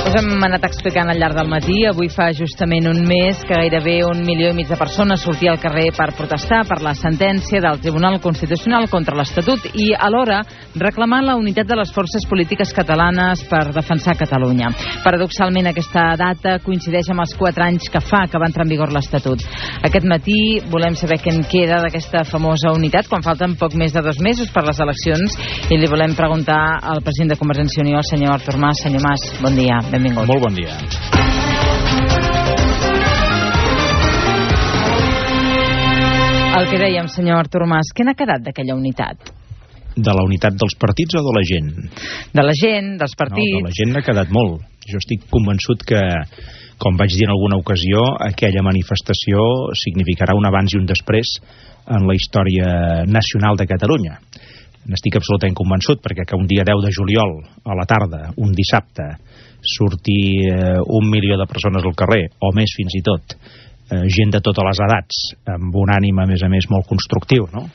Us hem anat explicant al llarg del matí. Avui fa justament un mes que gairebé 1,5 milió de persones sortia al carrer per protestar per la sentència del Tribunal Constitucional contra l'Estatut i alhora reclamar la unitat de les forces polítiques catalanes per defensar Catalunya. Paradoxalment, aquesta data coincideix amb els 4 anys que fa que va entrar en vigor l'Estatut. Aquest matí volem saber què en queda d'aquesta famosa unitat quan falten poc més de 2 mesos per les eleccions i li volem preguntar al president de Convergència i Unió, el senyor Artur Mas. Senyor Mas, bon dia. Benvingut. Molt bon dia. El que dèiem, senyor Artur Mas, què n'ha quedat d'aquella unitat? De la unitat dels partits o de la gent? De la gent, dels partits... No, de la gent n'ha quedat molt. Jo estic convençut que, com vaig dir en alguna ocasió, aquella manifestació significarà un abans i un després en la història nacional de Catalunya. N'estic absolutament convençut, perquè que un dia 10 de juliol, a la tarda, un dissabte, sortir 1 milió de persones al carrer, o més fins i tot, gent de totes les edats, amb un ànim, a més, molt constructiu, no?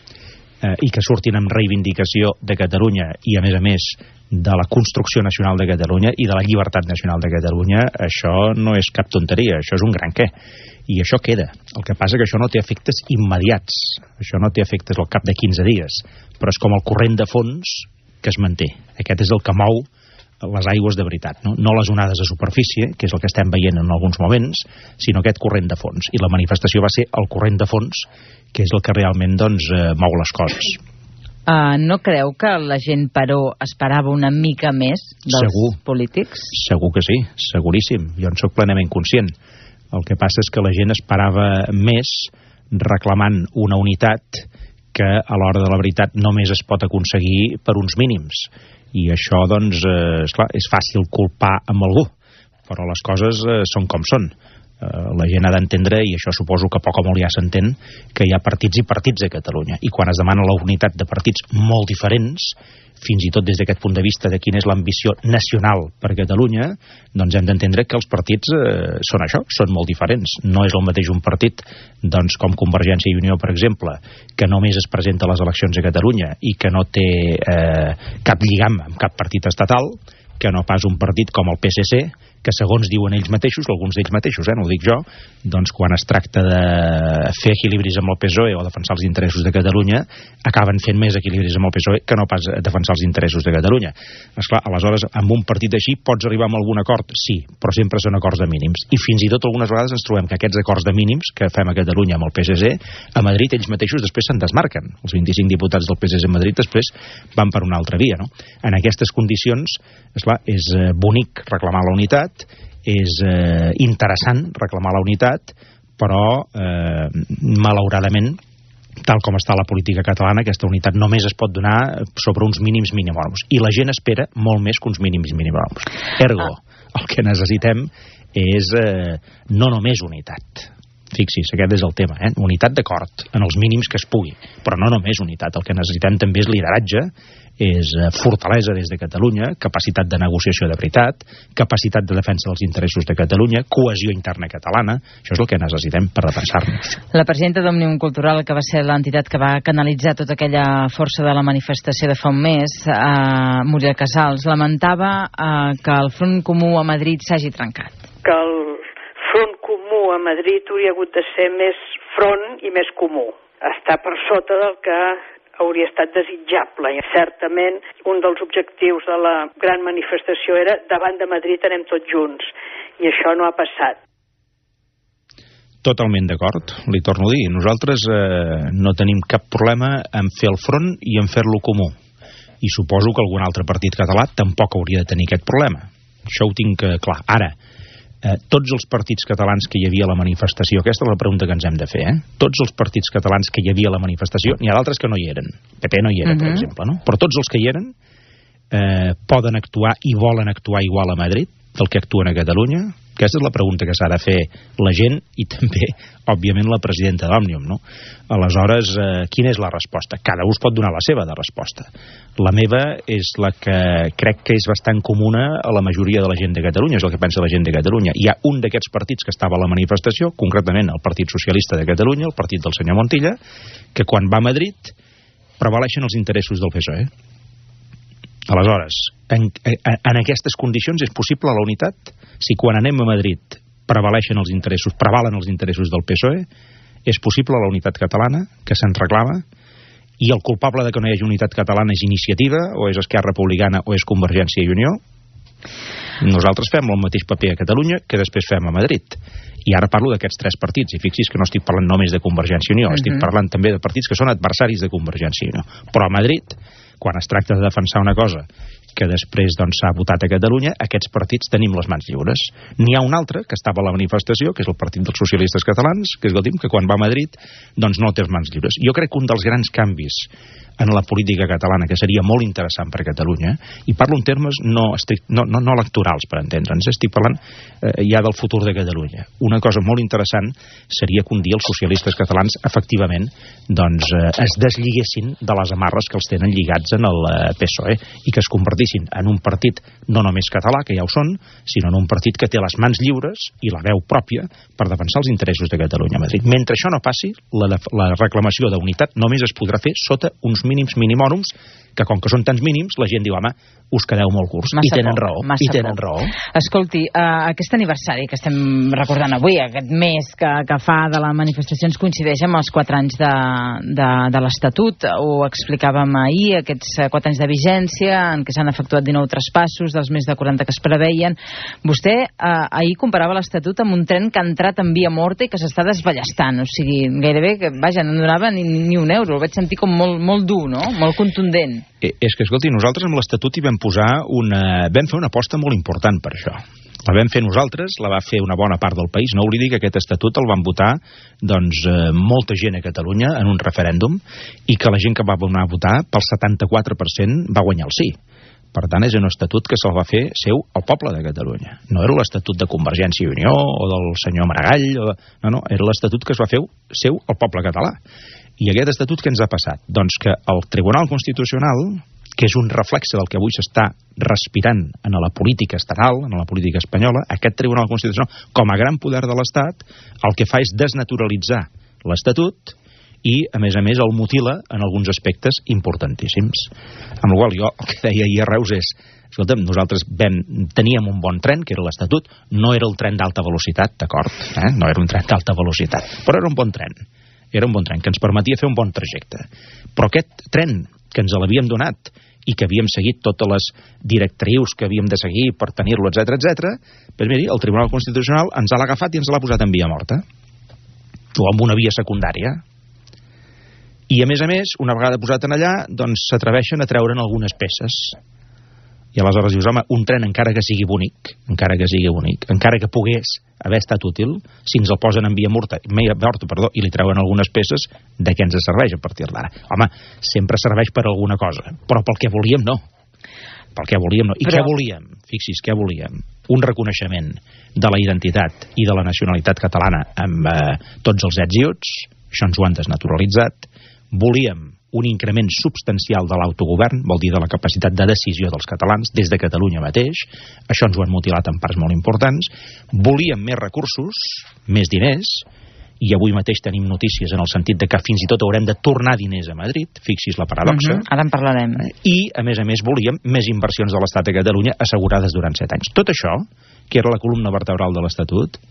I que surtin amb reivindicació de Catalunya i, a més, de la construcció nacional de Catalunya i de la llibertat nacional de Catalunya, això no és cap tonteria, això és un gran què. I això queda. El que passa que això no té efectes immediats, això no té efectes al cap de 15 dies, però és com el corrent de fons que es manté. Aquest és el que mou les aigües de veritat, no? No les onades de superfície, que és el que estem veient en alguns moments, sinó aquest corrent de fons. I la manifestació va ser el corrent de fons, que és el que realment mou les coses. No creu que la gent, però, esperava una mica més dels polítics? Segur que sí, seguríssim. Jo en soc plenament conscient. El que passa és que la gent esperava més reclamant una unitat que a l'hora de la veritat només es pot aconseguir per uns mínims. I això, esclar, és fàcil culpar amb algú, però les coses són com són. La gent ha d'entendre, i això suposo que poc o molt ja s'entén, que hi ha partits i partits a Catalunya. I quan es demana la unitat de partits molt diferents, fins i tot des d'aquest punt de vista de quina és l'ambició nacional per Catalunya, doncs hem d'entendre que els partits són això, són molt diferents. No és el mateix un partit com Convergència i Unió, per exemple, que només es presenta a les eleccions a Catalunya i que no té cap lligam amb cap partit estatal, que no pas un partit com el PSC, que segons diuen ells mateixos, alguns d'ells mateixos, no ho dic jo, doncs quan es tracta de fer equilibris amb el PSOE o defensar els interessos de Catalunya, acaben fent més equilibris amb el PSOE que no pas defensar els interessos de Catalunya. Esclar, aleshores, amb un partit així pots arribar a algun acord? Sí, però sempre són acords de mínims. I fins i tot algunes vegades ens trobem que aquests acords de mínims que fem a Catalunya amb el PSC, a Madrid ells mateixos després se'n desmarquen. Els 25 diputats del PSC a Madrid després van per una altra via, no? En aquestes condicions, esclar, és bonic reclamar la unitat, és interessant reclamar la unitat, però malauradament, tal com està la política catalana, aquesta unitat només es pot donar sobre uns mínims minimòrums. I la gent espera molt més que uns mínims minimòrums. Ergo, el que necessitem és no només unitat. Fixis, aquest és el tema, unitat d'acord, en els mínims que es pugui, però no només unitat. El que necessitem també és lideratge, és fortalesa des de Catalunya, capacitat de negociació de veritat, capacitat de defensa dels interessos de Catalunya, cohesió interna catalana. Això és el que necessitem per defensar-nos. La presidenta d'Òmnium Cultural, que va ser l'entitat que va canalitzar tota aquella força de la manifestació de fa un mes, Muriel Casals, lamentava que el Front Comú a Madrid s'hagi trencat. Que el Front Comú a Madrid hauria hagut de ser més front i més comú. Està per sota del que hauria estat desitjable. I certament, un dels objectius de la gran manifestació era davant de Madrid anem tots junts. I això no ha passat. Totalment d'acord, li torno a dir. Nosaltres no tenim cap problema en fer el front i en fer-lo comú. I suposo que algun altre partit català tampoc hauria de tenir aquest problema. Això ho tinc clar. Ara, tots els partits catalans que hi havia a la manifestació, aquesta és la pregunta que ens hem de fer, tots els partits catalans que hi havia a la manifestació, n'hi ha d'altres que no hi eren, PP no hi era, per exemple, no? Però tots els que hi eren poden actuar i volen actuar igual a Madrid del que actuen a Catalunya? Aquesta és la pregunta que s'ha de fer la gent i també, òbviament, la presidenta d'Òmnium, no? Aleshores, quina és la resposta? Cada un pot donar la seva de resposta. La meva és la que crec que és bastant comuna a la majoria de la gent de Catalunya, és el que pensa la gent de Catalunya. Hi ha un d'aquests partits que estava a la manifestació, concretament el Partit Socialista de Catalunya, el partit del senyor Montilla, que quan va a Madrid prevaleixen els interessos del PSOE. Aleshores, en aquestes condicions és possible la unitat? Si quan anem a Madrid prevalen els interessos del PSOE, és possible la unitat catalana, que se'n reclama, i el culpable de que no hi hagi unitat catalana és Iniciativa, o és Esquerra Republicana, o és Convergència i Unió? Nosaltres fem el mateix paper a Catalunya que després fem a Madrid. I ara parlo d'aquests 3 partits, i fixi's que no estic parlant només de Convergència i Unió, estic parlant també de partits que són adversaris de Convergència i Unió. Però a Madrid, quan es tracta de defensar una cosa que després s'ha votat a Catalunya, aquests partits tenim les mans lliures. N'hi ha un altre, que estava a la manifestació, que és el Partit dels Socialistes Catalans, que quan va a Madrid no té les mans lliures. Jo crec que un dels grans canvis en la política catalana, que seria molt interessant per a Catalunya, i parlo en termes no electorals, per entendre'ns, estic parlant ja del futur de Catalunya. Una cosa molt interessant seria que un dia els socialistes catalans efectivament es deslligessin de les amarres que els tenen lligats en el PSOE i que es convertissin en un partit no només català, que ja ho són, sinó en un partit que té les mans lliures i la veu pròpia per defensar els interessos de Catalunya a Madrid. Mentre això no passi, la reclamació d'unitat només es podrà fer sota uns mínims minimòrums, que com que són tants mínims, la gent diu, home, us quedeu molt curts. I tenen raó. Escolti, aquest aniversari que estem recordant avui, aquest mes que fa de la manifestació, ens coincideix amb els 4 anys de l'Estatut. Ho explicàvem ahir, aquests 4 anys de vigència, en què s'han efectuat 19 traspassos, dels més de 40 que es preveien. Vostè ahir comparava l'Estatut amb un tren que ha entrat en via morta i que s'està desballestant. O sigui, gairebé, vaja, no donava ni un euro. El vaig sentir com molt dur, no? Molt contundent. És que, escolti, nosaltres amb l'Estatut hi vam fer una aposta molt important per això. La vam fer nosaltres, la va fer una bona part del país. No oblidi que aquest Estatut el van votar molta gent a Catalunya en un referèndum i que la gent que va anar a votar, pel 74% va guanyar el sí. Per tant, és un estatut que se'l va fer seu el poble de Catalunya. No era l'Estatut de Convergència i Unió o del senyor Maragall. No, era l'Estatut que es va fer seu el poble català. I aquest estatut què ens ha passat? Doncs que el Tribunal Constitucional, que és un reflexe del que avui s'està respirant en la política estatal, en la política espanyola, aquest Tribunal Constitucional, com a gran poder de l'Estat, el que fa és desnaturalitzar l'Estatut i, a més, el mutila en alguns aspectes importantíssims. Amb la qual jo el que deia ahir a Reus és, escolta'm, nosaltres teníem un bon tren, que era l'Estatut, no era el tren d'alta velocitat, d'acord? No era un tren d'alta velocitat, però era un bon tren. Era un bon tren que ens permetia fer un bon trajecte. Però aquest tren que ens l'havíem donat i que havíem seguit totes les directrius que havíem de seguir per tenir-lo, etc, doncs miri, el Tribunal Constitucional ens l'ha agafat i ens l'ha posat en via morta. O amb una via secundària. I, a més, una vegada posat en allà, doncs s'atreveixen a treure'n algunes peces. I aleshores dius, home, un tren encara que sigui bonic, encara que pogués haver estat útil, si ens el posen en via morta i li treuen algunes peces, de què ens serveix a partir d'ara? Home, sempre serveix per alguna cosa, però pel que volíem no. I què volíem? Fixi's, què volíem? Un reconeixement de la identitat i de la nacionalitat catalana amb tots els ets i uts, això ens ho han desnaturalitzat. Volíem un increment substancial de l'autogovern, vol dir de la capacitat de decisió dels catalans, des de Catalunya mateix. Això ens ho han mutilat en parts molt importants. Volíem més recursos, més diners, i avui mateix tenim notícies en el sentit de que fins i tot haurem de tornar diners a Madrid, fixi's la paradoxa. Ara en parlarem. I, a més, volíem més inversions de l'Estat a Catalunya assegurades durant 7 anys. Tot això, que era la columna vertebral de l'Estatut,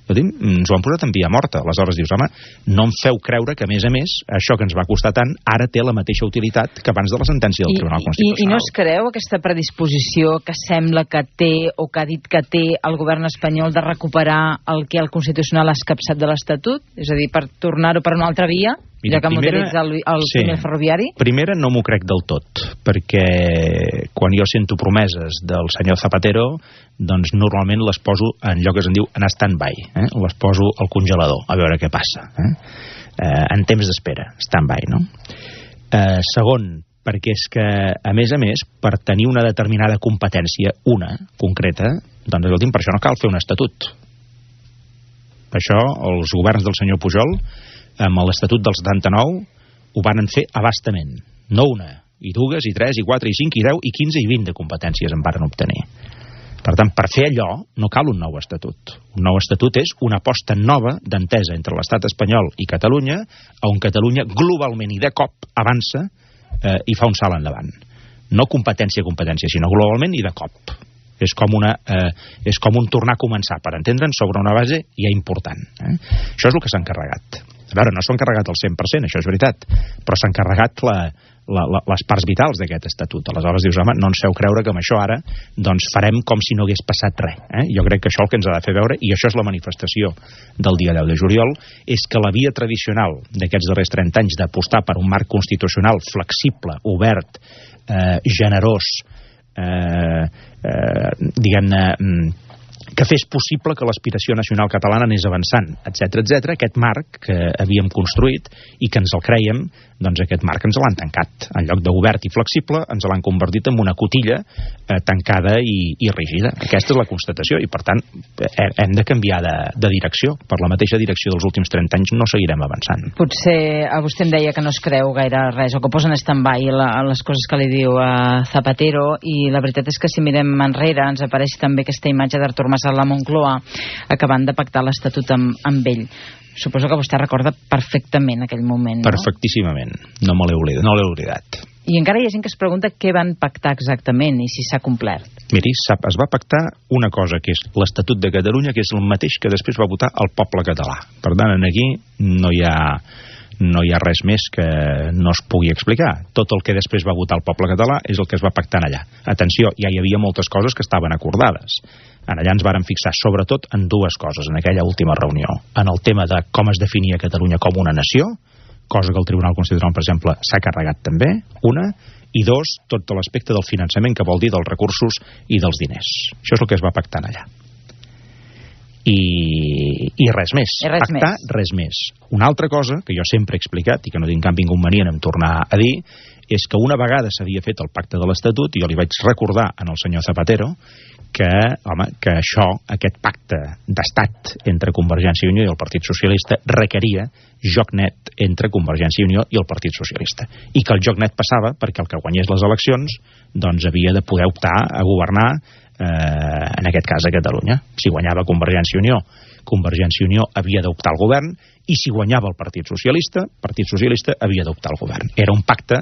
ens ho han posat en via morta. Aleshores dius, home, no em feu creure que, a més, això que ens va costar tant, ara té la mateixa utilitat que abans de la sentència del Tribunal Constitucional. I no es creu aquesta predisposició que sembla que té, o que ha dit que té el govern espanyol de recuperar el que el Constitucional ha escapçat de l'Estatut? És a dir, per tornar-ho per una altra via? Ja que modelitza el túnel ferroviari? Primera, no m'ho crec del tot, perquè quan jo sento promeses del senyor Zapatero, doncs normalment les poso en allò que se'n diu en stand-by, les poso al congelador, a veure què passa. En temps d'espera, stand-by, no? Segon, perquè és que, a més, per tenir una determinada competència, una concreta, doncs, escolti'm, per això no cal fer un estatut. Per això, els governs del senyor Pujol, amb l'Estatut del 79, ho van fer abastament. No una, i dues, i tres, i quatre, i cinc, i 10, i 15, i 20 de competències en varen obtenir. Per tant, per fer allò, no cal un nou estatut. Un nou estatut és una aposta nova d'entesa entre l'estat espanyol i Catalunya, on Catalunya globalment i de cop avança i fa un salt endavant. no competència, sinó globalment i de cop. És com un tornar a començar, per entendre'ns, sobre una base ja important. Això és el que s'ha encarregat. A veure, no s'ha encarregat el 100%, això és veritat, però s'ha encarregat les parts vitals d'aquest estatut. Aleshores dius, home, no ens feu creure que amb això ara doncs farem com si no hagués passat res. Jo crec que això el que ens ha de fer veure, i això és la manifestació del dia 10 de juliol, és que la via tradicional d'aquests darrers 30 anys d'apostar per un marc constitucional flexible, obert, generós, diguem-ne, que fes possible que l'aspiració nacional catalana anés avançant, etc. Aquest marc que havíem construït i que ens el crèiem, doncs aquest marc ens l'han tancat. En lloc d'obert i flexible, ens l'han convertit en una cotilla tancada i rígida. Aquesta és la constatació i, per tant, hem de canviar de direcció. Per la mateixa direcció dels últims 30 anys no seguirem avançant. Potser a vostè em deia que no es creu gaire res, o que posen stand-by les coses que li diu Zapatero, i la veritat és que si mirem enrere ens apareix també aquesta imatge d'Artur Mas a la Moncloa acabant de pactar l'Estatut amb ell. Suposo que vostè recorda perfectament aquell moment, no? Perfectíssimament. No me l'he oblidat. I encara hi ha gent que es pregunta què van pactar exactament i si s'ha complert. Miri, es va pactar una cosa, que és l'Estatut de Catalunya, que és el mateix que després va votar el poble català. Per tant, aquí no hi ha res més que no es pugui explicar. Tot el que després va votar el poble català és el que es va pactar allà. Atenció, ja hi havia moltes coses que estaven acordades. Allà ens vàrem fixar sobretot en dues coses en aquella última reunió. En el tema de com es definia Catalunya com una nació, cosa que el Tribunal Constitucional, per exemple, s'ha carregat també, una, i dos, tot l'aspecte del finançament, que vol dir dels recursos i dels diners. Això és el que es va pactar allà. I res més. Res més. Una altra cosa, que jo sempre he explicat i que no tinc cap inconvenient en tornar a dir, és que una vegada s'havia fet el pacte de l'Estatut, i jo li vaig recordar al senyor Zapatero que això, aquest pacte d'estat entre Convergència i Unió i el Partit Socialista requeria joc net entre Convergència i Unió i el Partit Socialista. I que el joc net passava perquè el que guanyés les eleccions doncs havia de poder optar a governar en aquest cas a Catalunya. Si guanyava Convergència i Unió havia d'optar al govern, i si guanyava el Partit Socialista havia d'optar al govern. Era un pacte,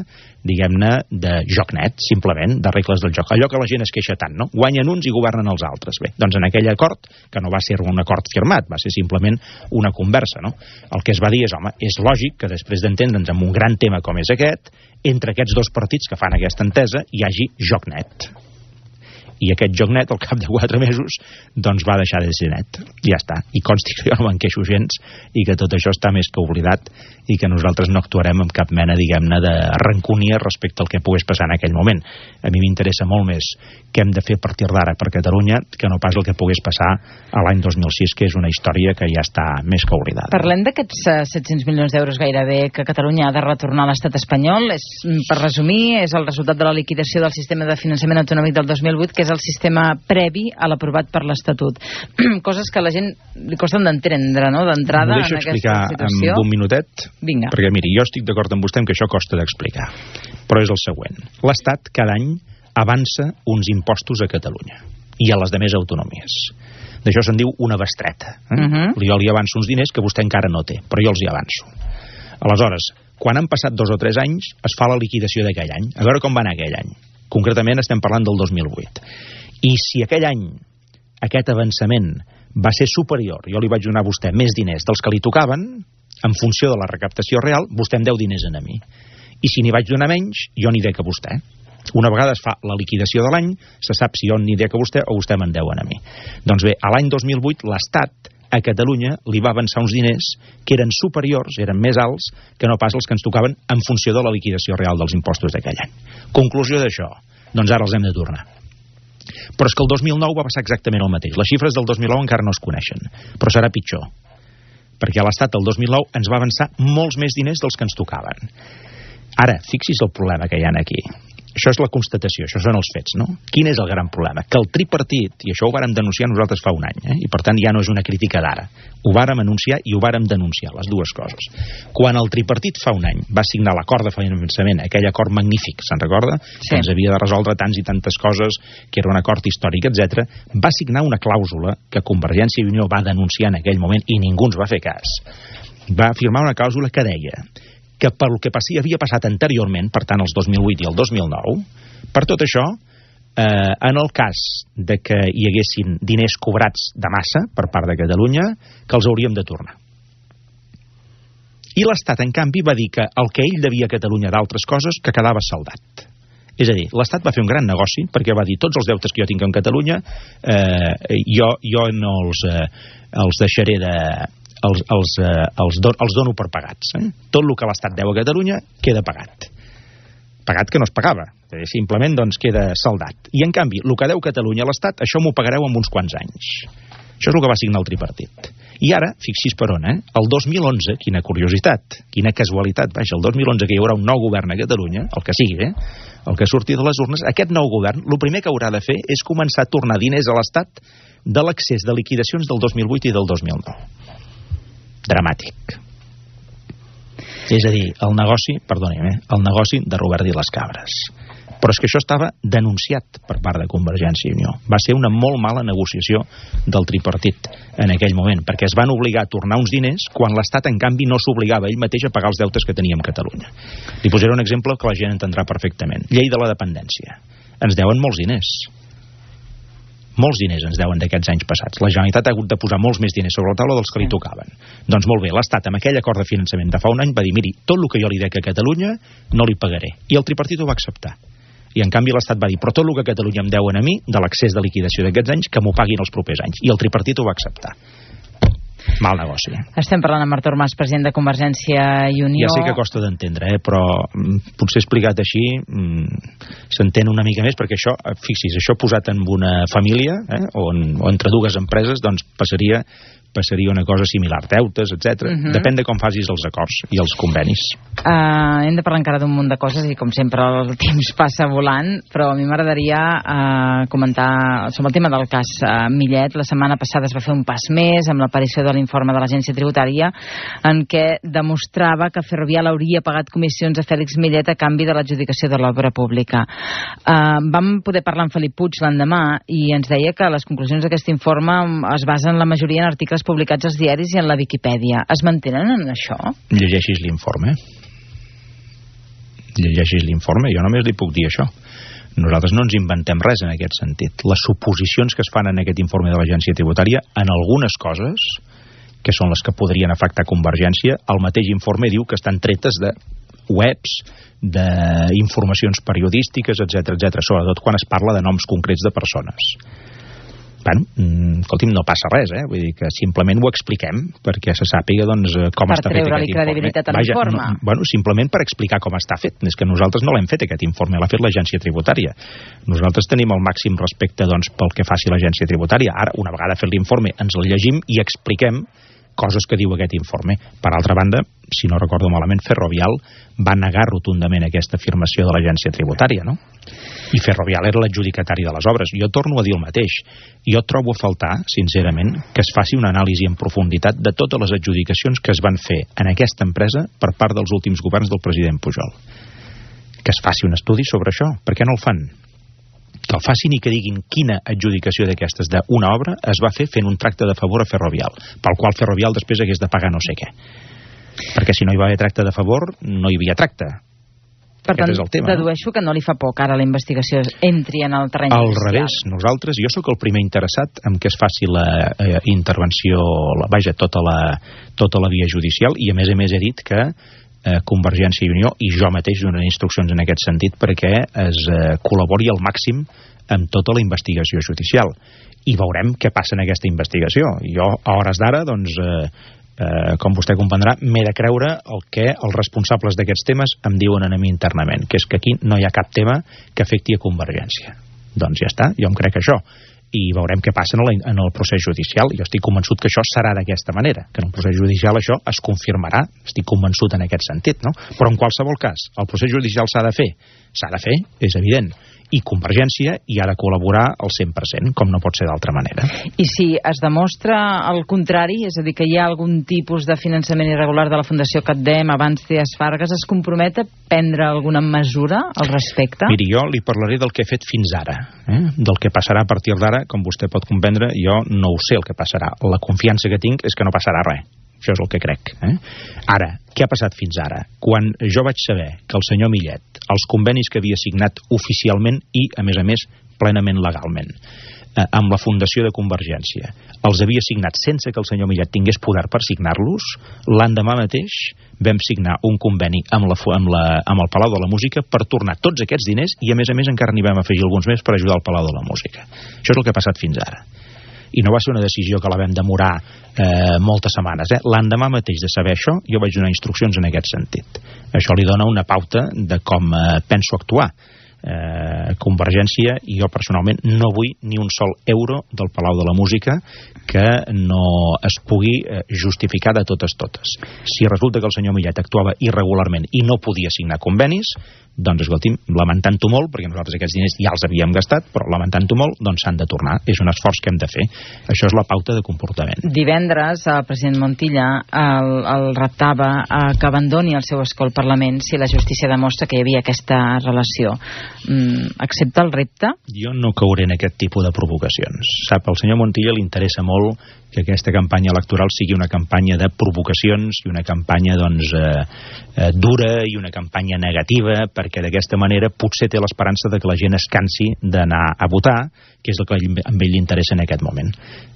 diguem-ne, de joc net, simplement, de regles del joc. Allò que la gent es queixa tant, no? Guanyen uns i governen els altres. Bé, doncs en aquell acord, que no va ser un acord firmat, va ser simplement una conversa, no? El que es va dir és, home, és lògic que després d'entendre'ns en un gran tema com és aquest, entre aquests dos partits que fan aquesta entesa hi hagi joc net. I aquest joc net, al cap de 4 mesos, doncs va deixar de ser net. Ja està. I consti que jo no me'n queixo gens i que tot això està més que oblidat i que nosaltres no actuarem amb cap mena, diguem-ne, de rancúnia respecte al que pogués passar en aquell moment. A mi m'interessa molt més què hem de fer a partir d'ara per Catalunya que no pas el que pogués passar a l'any 2006, que és una història que ja està més que oblidada. Parlem d'aquests 700 milions d'euros gairebé que Catalunya ha de retornar a l'estat espanyol. Per resumir, és el resultat de la liquidació del sistema de finançament autonòmic del 2008, que és el sistema previ a l'aprovat per l'Estatut. Coses que a la gent li costen d'entendre, no?, d'entrada en aquesta situació. M'ho deixo explicar en un minutet? Vinga. Perquè, miri, jo estic d'acord amb vostè en que això costa d'explicar. Però és el següent. L'Estat cada any avança uns impostos a Catalunya i a les demés autonomies. D'això se'n diu una bestreta. Jo li avanço uns diners que vostè encara no té, però jo els hi avanço. Aleshores, quan han passat 2 o 3 anys, es fa la liquidació d'aquell any. A veure com va anar aquell any. Concretament estem parlant del 2008. I si aquell any aquest avançament va ser superior, jo li vaig donar a vostè més diners dels que li tocaven, en funció de la recaptació real, vostè em deu diners a mi. I si n'hi vaig donar menys, jo n'hi dec a vostè. Una vegada es fa la liquidació de l'any, se sap si jo n'hi dec a vostè o vostè me'n deu a mi. Doncs bé, a l'any 2008 l'Estat a Catalunya li va avançar uns diners que eren superiors, eren més alts que no pas els que ens tocaven en funció de la liquidació real dels impostos d'aquell any. Conclusió d'això, doncs ara els hem de tornar. Però és que el 2009 va passar exactament el mateix. Les xifres del 2009 encara no es coneixen, però serà pitjor, perquè l'Estat el 2009 ens va avançar molts més diners dels que ens tocaven. Ara, fixi's el problema que hi ha aquí. Això és la constatació, això són els fets, no? Quin és el gran problema? Que el tripartit, i això ho vàrem denunciar nosaltres fa un any, i per tant ja no és una crítica d'ara, ho vàrem anunciar i ho vàrem denunciar, les dues coses. Quan el tripartit fa un any va signar l'acord de finançament, aquell acord magnífic, se'n recorda? Sí. Que ens havia de resoldre tants i tantes coses, que era un acord històric, etc. Va signar una clàusula que Convergència i Unió va denunciar en aquell moment i ningú ens va fer cas. Va firmar una clàusula que deia que pel que havia passat anteriorment, per tant, els 2008 i el 2009, per tot això, en el cas de que hi haguessin diners cobrats de massa per part de Catalunya, que els hauríem de tornar. I l'Estat, en canvi, va dir que el que ell devia a Catalunya d'altres coses que quedava saldat. És a dir, l'Estat va fer un gran negoci perquè va dir tots els deutes que jo tinc en Catalunya jo no els deixaré els dono per pagats. Tot el que l'Estat deu a Catalunya queda pagat. Pagat que no es pagava. Simplement doncs queda saldat. I en canvi, el que deu Catalunya a l'Estat, això m'ho pagareu en uns quants anys. Això és el que va signar el tripartit. I ara, fixi's per on, el 2011, quina curiositat, quina casualitat, vaja, el 2011 que hi haurà un nou govern a Catalunya, el que sigui, el que surti de les urnes, aquest nou govern, el primer que haurà de fer és començar a tornar diners a l'Estat de l'excés de liquidacions del 2008 i del 2009. Dramàtic. És a dir, el negoci de Robert i les Cabres. Però és que això estava denunciat per part de Convergència i Unió. Va ser una molt mala negociació del tripartit en aquell moment, perquè es van obligar a tornar uns diners quan l'Estat, en canvi, no s'obligava ell mateix a pagar els deutes que tenia amb Catalunya. Li posaré un exemple que la gent entendrà perfectament. Llei de la dependència. Ens deuen molts diners. Molts diners ens deuen d'aquests anys passats. La Generalitat ha hagut de posar molts més diners sobre la taula dels que li tocaven. Doncs molt bé, l'Estat amb aquell acord de finançament de fa un any va dir, miri, tot el que jo li dec a Catalunya no li pagaré. I el tripartit ho va acceptar. I en canvi l'Estat va dir, però tot el que Catalunya em deuen a mi, de l'excés de liquidació d'aquests anys, que m'ho paguin els propers anys. I el tripartit ho va acceptar. Mal negoci. Estem parlant amb Artur Mas, president de Convergència i Unió. Ja sé que costa d'entendre, però potser explicat així s'entén una mica més, perquè això, fixis, això posat en una família o entre dues empreses, doncs passaria una cosa similar, deutes, etc. Depèn de com facis els acords i els convenis. Hem de parlar encara d'un munt de coses i com sempre el temps passa volant, però a mi m'agradaria comentar sobre el tema del cas Millet. La setmana passada es va fer un pas més amb l'aparició de l'informe de l'Agència Tributària en què demostrava que Ferrovial hauria pagat comissions a Fèlix Millet a canvi de l'adjudicació de l'obra pública. Vam poder parlar amb Felip Puig l'endemà i ens deia que les conclusions d'aquest informe es basen la majoria en articles publicats als diaris i en la Viquipèdia. Es mantenen en això? Llegeixis l'informe. Llegeixis l'informe. Jo només li puc dir això. Nosaltres no ens inventem res en aquest sentit. Les suposicions que es fan en aquest informe de l'Agència Tributària, en algunes coses, que són les que podrien afectar Convergència, el mateix informe diu que estan tretes de webs, d'informacions periodístiques, etc, sobretot quan es parla de noms concrets de persones. Bueno, escolti'm, no passa res, vull dir que simplement ho expliquem perquè se sàpiga com està fet aquest informe. Per treure-li credibilitat a l'informe. Bueno, simplement per explicar com està fet. És que nosaltres no l'hem fet aquest informe, l'ha fet l'Agència Tributària. Nosaltres tenim el màxim respecte pel que faci l'Agència Tributària. Ara, una vegada fet l'informe, ens el llegim i expliquem coses que diu aquest informe. Per altra banda, si no recordo malament, Ferrovial va negar rotundament aquesta afirmació de l'Agència Tributària, no? I Ferrovial era l'adjudicatari de les obres. Jo torno a dir el mateix. Jo trobo a faltar, sincerament, que es faci una anàlisi en profunditat de totes les adjudicacions que es van fer en aquesta empresa per part dels últims governs del president Pujol. Que es faci un estudi sobre això. Per què no el fan? Que el facin i que diguin quina adjudicació d'aquestes d'una obra es va fer fent un tracte de favor a Ferrovial, pel qual Ferrovial després hagués de pagar no sé què. Perquè si no hi va haver tracte de favor, no hi havia tracte. Per tant, dedueixo que no li fa por que ara la investigació entri en el terreny judicial. Al revés, nosaltres, jo sóc el primer interessat en que es faci la intervenció, tota la via judicial, i a més he dit que Convergència i Unió i jo mateix donaré instruccions en aquest sentit perquè es col·labori al màxim amb tota la investigació judicial. I veurem què passa en aquesta investigació. Jo, a hores d'ara, doncs, com vostè comprendrà, m'he de creure el que els responsables d'aquests temes em diuen a mi internament, que és que aquí no hi ha cap tema que afecti a Convergència. Doncs ja està, jo em crec això. I veurem què passa en el procés judicial. Jo estic convençut que això serà d'aquesta manera, que en el procés judicial això es confirmarà, estic convençut en aquest sentit, no? Però en qualsevol cas, el procés judicial s'ha de fer, és evident, i Convergència hi ha de col·laborar al 100%, com no pot ser d'altra manera. I si es demostra el contrari, és a dir, que hi ha algun tipus de finançament irregular de la Fundació Catdem abans Trias Fargas, es compromet a prendre alguna mesura al respecte? Miri, jo li parlaré del que he fet fins ara. Del que passarà a partir d'ara, com vostè pot comprendre, jo no ho sé el que passarà. La confiança que tinc és que no passarà res. Això és el que crec. Ara, què ha passat fins ara? Quan jo vaig saber que el senyor Millet, els convenis que havia signat oficialment i, a més, plenament legalment, amb la Fundació de Convergència, els havia signat sense que el senyor Millet tingués poder per signar-los, l'endemà mateix vam signar un conveni amb el Palau de la Música per tornar tots aquests diners i, a més, encara n'hi vam afegir alguns més per ajudar al Palau de la Música. Això és el que ha passat fins ara. I no va ser una decisió que la vam demorar moltes setmanes. L'endemà mateix de saber això, jo vaig donar instruccions en aquest sentit. Això li dona una pauta de com penso actuar. Convergència i jo personalment no vull ni un sol euro del Palau de la Música que no es pugui justificar de totes. Si resulta que el senyor Millet actuava irregularment i no podia signar convenis, doncs escolti'm, lamentant-ho molt, perquè nosaltres aquests diners ja els havíem gastat, però lamentant-ho molt, doncs s'han de tornar. És un esforç que hem de fer. Això és la pauta de comportament. Divendres el president Montilla el reptava que abandoni el seu escó al Parlament si la justícia demostra que hi havia aquesta relació. Accepta el repte? Jo no cauré en aquest tipus de provocacions. Sap, al senyor Montilla li interessa molt que aquesta campanya electoral sigui una campanya de provocacions i una campanya dura i una campanya negativa, perquè d'aquesta manera potser té l'esperança de que la gent es cansi d'anar a votar, que és el que a ell li interessa en aquest moment.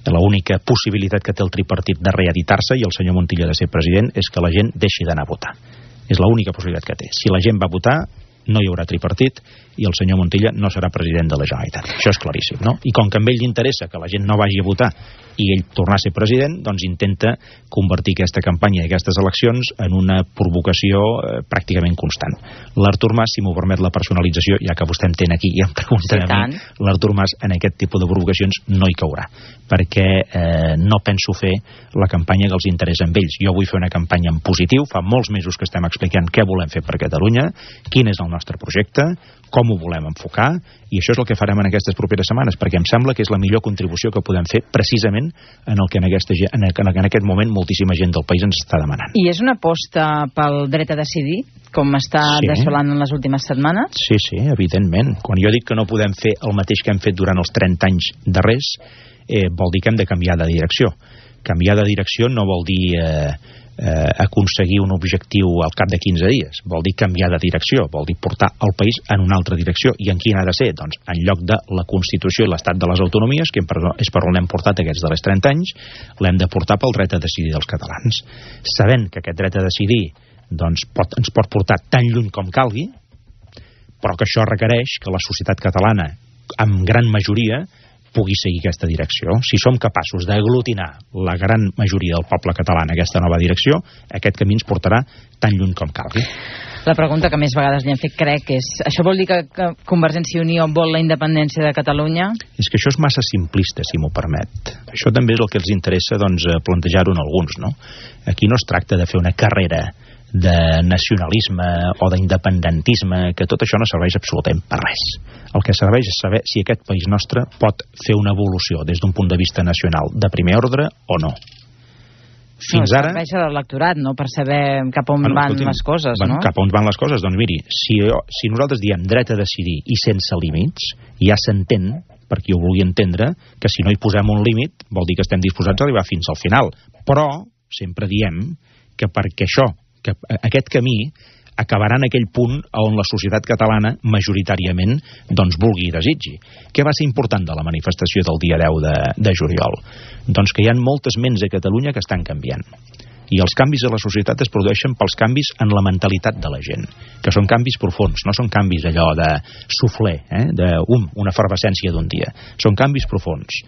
L'única possibilitat que té el tripartit de reeditar-se i el senyor Montilla de ser president és que la gent deixi d'anar a votar. És l'única possibilitat que té. Si la gent va a votar, no hi haurà tripartit i el senyor Montilla no serà president de la Generalitat. Això és claríssim, no? I com que a ell li interessa que la gent no vagi a votar i ell tornar a ser president, doncs intenta convertir aquesta campanya i aquestes eleccions en una provocació pràcticament constant. L'Artur Mas, si m'ho permet la personalització, ja que vostè entén aquí i em pregunta a mi, l'Artur Mas en aquest tipus de provocacions no hi caurà, perquè no penso fer la campanya que els interessa a ells. Jo vull fer una campanya en positiu, fa molts mesos que estem explicant què volem fer per Catalunya, quin és el nostre projecte, com ho volem enfocar, i això és el que farem en aquestes properes setmanes, perquè em sembla que és la millor contribució que podem fer precisament en el que en aquest moment moltíssima gent del país ens està demanant. I és una aposta pel dret a decidir, com està desvelant en les últimes setmanes? Sí, evidentment. Quan jo dic que no podem fer el mateix que hem fet durant els 30 anys darrers, vol dir que hem de canviar de direcció. Canviar de direcció no vol dir aconseguir un objectiu al cap de 15 dies. Vol dir canviar de direcció, vol dir portar el país en una altra direcció. I en quina ha de ser? Doncs en lloc de la Constitució i l'Estat de les Autonomies, que és per on l'hem portat aquests darrers 30 anys, l'hem de portar pel dret a decidir dels catalans. Sabent que aquest dret a decidir doncs, ens pot portar tan lluny com calgui, però que això requereix que la societat catalana, amb gran majoria, pugui seguir aquesta direcció. Si som capaços d'aglutinar la gran majoria del poble català en aquesta nova direcció, aquest camí ens portarà tan lluny com calgui. La pregunta que més vegades li han fet, crec, és: això vol dir que Convergència i Unió vol la independència de Catalunya? És que això és massa simplista, si m'ho permet. Això també és el que els interessa plantejar-ho en alguns, no? Aquí no es tracta de fer una carrera de nacionalisme o d'independentisme, que tot això no serveix absolutament per res. El que serveix és saber si aquest país nostre pot fer una evolució des d'un punt de vista nacional de primer ordre o no. Fins ara... serveix a l'electorat, no?, per saber cap on van les coses, no? Cap on van les coses, doncs miri, si nosaltres diem dret a decidir i sense límits, ja s'entén, per qui ho vulgui entendre, que si no hi posem un límit vol dir que estem disposats a arribar fins al final. Però sempre diem que perquè que aquest camí acabarà en aquell punt on la societat catalana majoritàriament doncs vulgui i desitgi. Què va ser important de la manifestació del dia 10 de juliol? Doncs que hi ha moltes ments a Catalunya que estan canviant. I els canvis a la societat es produeixen pels canvis en la mentalitat de la gent, que són canvis profuns, no són canvis allò de suflé, una efervescència d'un dia. Són canvis profuns.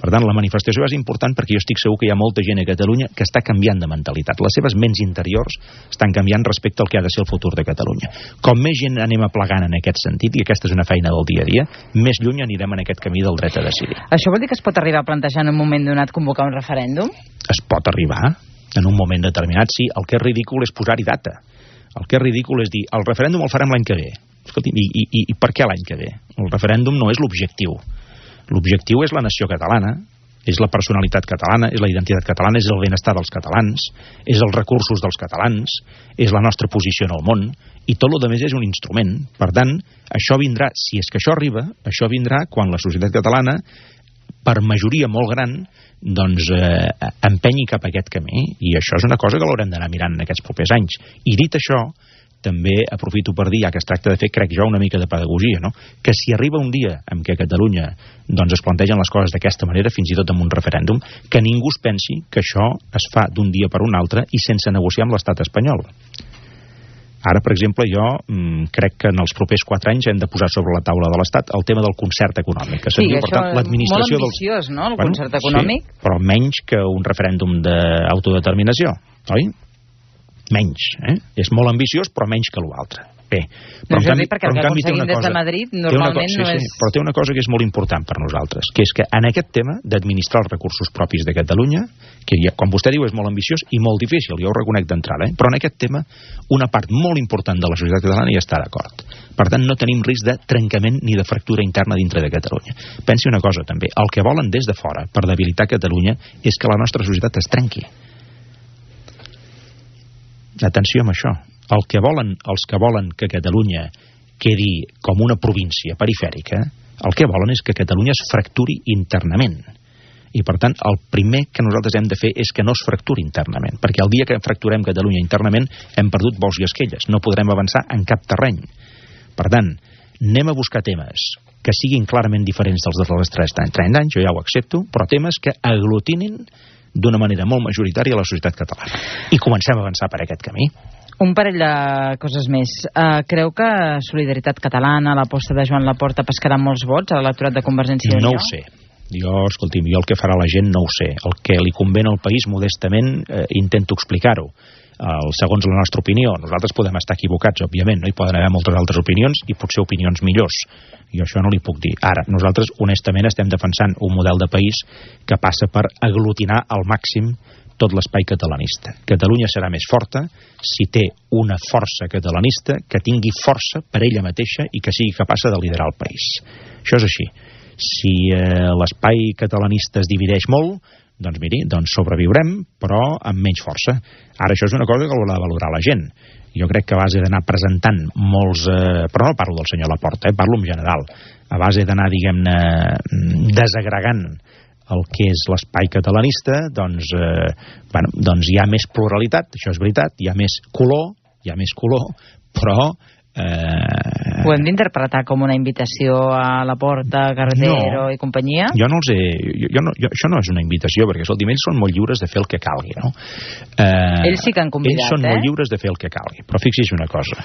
Per tant, la manifestació és important perquè jo estic segur que hi ha molta gent a Catalunya que està canviant de mentalitat. Les seves ments interiors estan canviant respecte al que ha de ser el futur de Catalunya. Com més gent anem aplegant en aquest sentit, i aquesta és una feina del dia a dia, més lluny anirem en aquest camí del dret a decidir. Això vol dir que es pot arribar a plantejar en un moment donat convocar un referèndum? Es pot arribar en un moment determinat, sí. El que és ridícul és posar-hi data. El que és ridícul és dir, el referèndum el farem l'any que ve. Escolti, i per què l'any que ve? El referèndum no és l'objectiu. L'objectiu és la nació catalana, és la personalitat catalana, és la identitat catalana, és el benestar dels catalans, és els recursos dels catalans, és la nostra posició en el món, i tot el més és un instrument. Per tant, això vindrà, si és que això arriba, això vindrà quan la societat catalana per majoria molt gran, doncs empenyi cap a aquest camí, i això és una cosa que l'haurem d'anar mirant en aquests propers anys. I dit això, també aprofito per dir, ja que es tracta de fer, crec jo, una mica de pedagogia, no? Que si arriba un dia en què a Catalunya doncs es plantegen les coses d'aquesta manera, fins i tot amb un referèndum, que ningú es pensi que això es fa d'un dia per un altre i sense negociar amb l'estat espanyol. Ara, per exemple, jo crec que en els propers 4 anys hem de posar sobre la taula de l'Estat el tema del concert econòmic. Que sí, això molt ambiciós, no?, el concert econòmic. Sí, però menys que un referèndum d'autodeterminació, oi? Menys, És molt ambiciós, però menys que l'altre. Bé, però en canvi té una cosa... Des de Madrid, normalment no és... Però té una cosa que és molt important per nosaltres, que és que en aquest tema d'administrar els recursos propis de Catalunya, que ja, com vostè diu, és molt ambiciós i molt difícil, jo ho reconec d'entrada, però en aquest tema una part molt important de la societat catalana hi està d'acord. Per tant, no tenim risc de trencament ni de fractura interna dintre de Catalunya. Pensi una cosa, també, el que volen des de fora per debilitar Catalunya és que la nostra societat es trenqui. Atenció amb això. El que volen, els que volen que Catalunya quedi com una província perifèrica, el que volen és que Catalunya es fracturi internament. I, per tant, el primer que nosaltres hem de fer és que no es fracturi internament, perquè el dia que fracturem Catalunya internament hem perdut bous i esquelles, no podrem avançar en cap terreny. Per tant, anem a buscar temes que siguin clarament diferents dels darrers 30 anys, jo ja ho accepto, però temes que aglutinin d'una manera molt majoritària a la societat catalana. I comencem a avançar per aquest camí. Un parell de coses més. Creu que Solidaritat Catalana, l'aposta de Joan Laporta, pescarà molts vots a l'electorat de Convergència i Unió? No ho sé. Escolti'm, jo el que farà la gent no ho sé. El que li convé al país, modestament, intento explicar-ho. Segons la nostra opinió, nosaltres podem estar equivocats, òbviament, no hi poden haver moltes altres opinions i potser opinions millors. Jo això no li puc dir. Ara, nosaltres, honestament, estem defensant un model de país que passa per aglutinar al màxim tot l'espai catalanista. Catalunya serà més forta si té una força catalanista que tingui força per ella mateixa i que sigui capaç de liderar el país. Això és així. Si l'espai catalanista es divideix molt, doncs miri, sobreviurem, però amb menys força. Ara, això és una cosa que haurà de valorar la gent. Jo crec que a base d'anar presentant molts... Però no parlo del senyor Laporta, parlo en general. A base d'anar, diguem-ne, desagregant el que és l'espai catalanista, doncs hi ha més pluralitat, això és veritat, hi ha més color, però... Ho hem d'interpretar com una invitació a Laporta, Carretero i companyia? Jo no els he... això no és una invitació, perquè, escolti'm, ells són molt lliures de fer el que calgui, no? Ells sí que han convidat, Ells són molt lliures de fer el que calgui, però fixi's una cosa.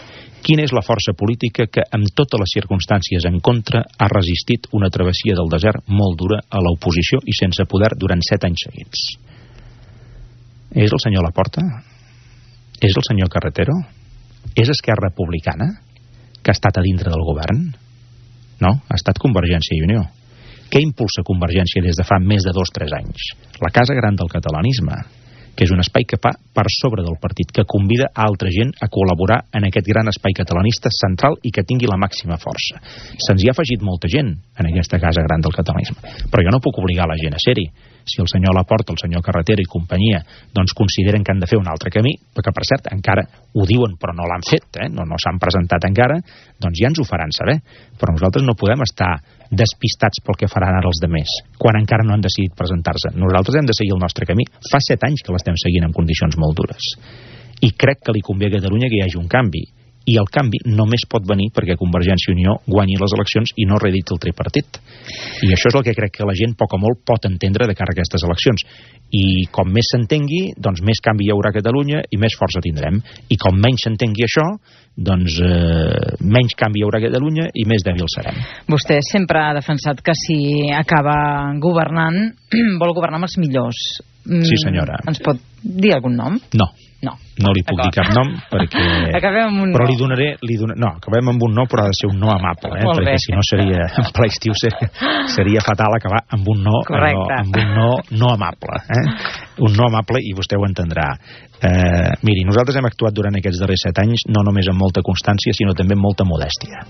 Quina és la força política que, amb totes les circumstàncies en contra, ha resistit una travessia del desert molt dura a l'oposició i sense poder durant 7 anys seguits? És el senyor Laporta? És el senyor Carretero? És Esquerra Republicana, que ha estat a dintre del govern? No, ha estat Convergència i Unió. Què impulsa Convergència des de fa més de 2-3 anys? La Casa Gran del Catalanisme, que és un espai que fa per sobre del partit, que convida a altra gent a col·laborar en aquest gran espai catalanista central i que tingui la màxima força. Se'ns hi ha afegit molta gent en aquesta Casa Gran del Catalanisme, però jo no puc obligar la gent a ser-hi. Si el senyor Laporta, el senyor Carretero i companyia doncs consideren que han de fer un altre camí, perquè per cert encara ho diuen però no l'han fet, no s'han presentat encara, doncs ja ens ho faran saber. Però nosaltres no podem estar despistats pel que faran ara els demés, quan encara no han decidit presentar-se. Nosaltres hem de seguir el nostre camí. Fa 7 anys que l'estem seguint en condicions molt dures. I crec que li convé a Catalunya que hi hagi un canvi. I el canvi només pot venir perquè Convergència i Unió guanyi les eleccions i no reediti el tripartit. I això és el que crec que la gent poc o molt pot entendre de cara a aquestes eleccions. I com més s'entengui, doncs més canvi hi haurà a Catalunya i més força tindrem. I com menys s'entengui això, doncs menys canvi hi haurà a Catalunya i més dèbil serem. Vostè sempre ha defensat que si acaba governant, vol governar amb els millors. Sí, senyora. Ens pot dir algun nom? No li puc dir cap nom perquè... Acabem amb un però no. li donaré... No, acabem amb un no, però ha de ser un no amable, perquè si no seria... En ple estiu seria fatal acabar amb un no, amb un no amable. Un no amable, i vostè ho entendrà. Miri, nosaltres hem actuat durant aquests darrers 7 anys no només amb molta constància, sinó també amb molta modèstia.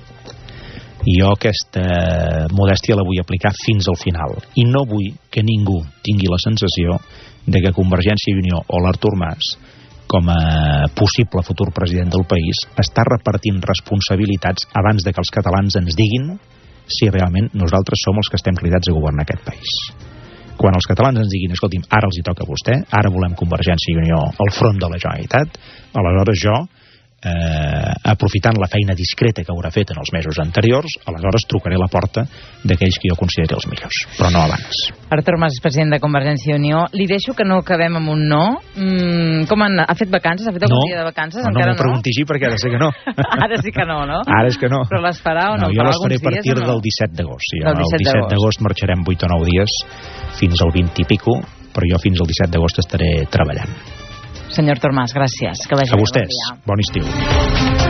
I jo aquesta modèstia la vull aplicar fins al final. I no vull que ningú tingui la sensació de que Convergència i Unió o l'Artur Mas, com a possible futur president del país, està repartint responsabilitats abans de que els catalans ens diguin si realment nosaltres som els que estem cridats a governar aquest país. Quan els catalans ens diguin, escolti'm, ara els hi toca a vostè, ara volem Convergència i Unió al front de la Generalitat, aleshores jo, aprofitant la feina discreta que haurà fet en els mesos anteriors, aleshores trucaré a la porta d'aquells que jo consideri els millors, però no abans. Artur Mas, president de Convergència i Unió, li deixo que no acabem amb un no. Ha fet vacances? Ha fet algun dia de vacances? No m'ho pregunti així perquè ara sé que no. Ara sí que no, no? Ara és que no. Però les farà o no? Jo les faré a partir del 17 d'agost. Sí, el 17 d'agost marxarem 8 o 9 dies fins al 20 i pico, però jo fins al 17 d'agost estaré treballant. Senyor Artur Mas, gràcies. Que vagi a vostès. Bon estiu.